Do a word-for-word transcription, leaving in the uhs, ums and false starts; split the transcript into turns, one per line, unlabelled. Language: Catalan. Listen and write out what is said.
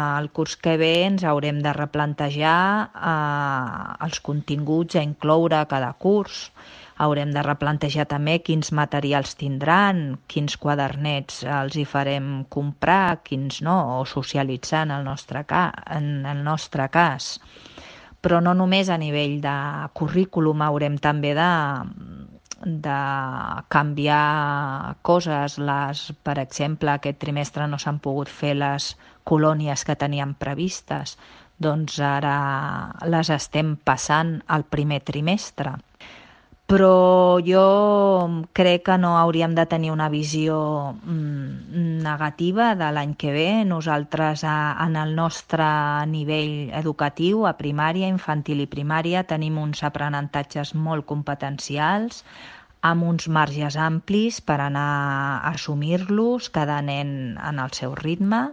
El curs que ve ens haurem de replantejar eh, els continguts a incloure a cada curs. Haurem de replantejar també quins materials tindran, quins quadernets els hi farem comprar, quins no, o socialitzar en el nostre, ca en el nostre cas. Però no només a nivell de currículum, haurem també de, de canviar coses. Les, per exemple, aquest trimestre no s'han pogut fer les colònies que teníem previstes, doncs ara les estem passant al primer trimestre. Però jo crec que no hauríem de tenir una visió mm, negativa de l'any que ve. Nosaltres a, en el nostre nivell educatiu, a primària, infantil i primària, tenim uns aprenentatges molt competencials, amb uns marges amplis per anar a assumir-los, cada nen en el seu ritme.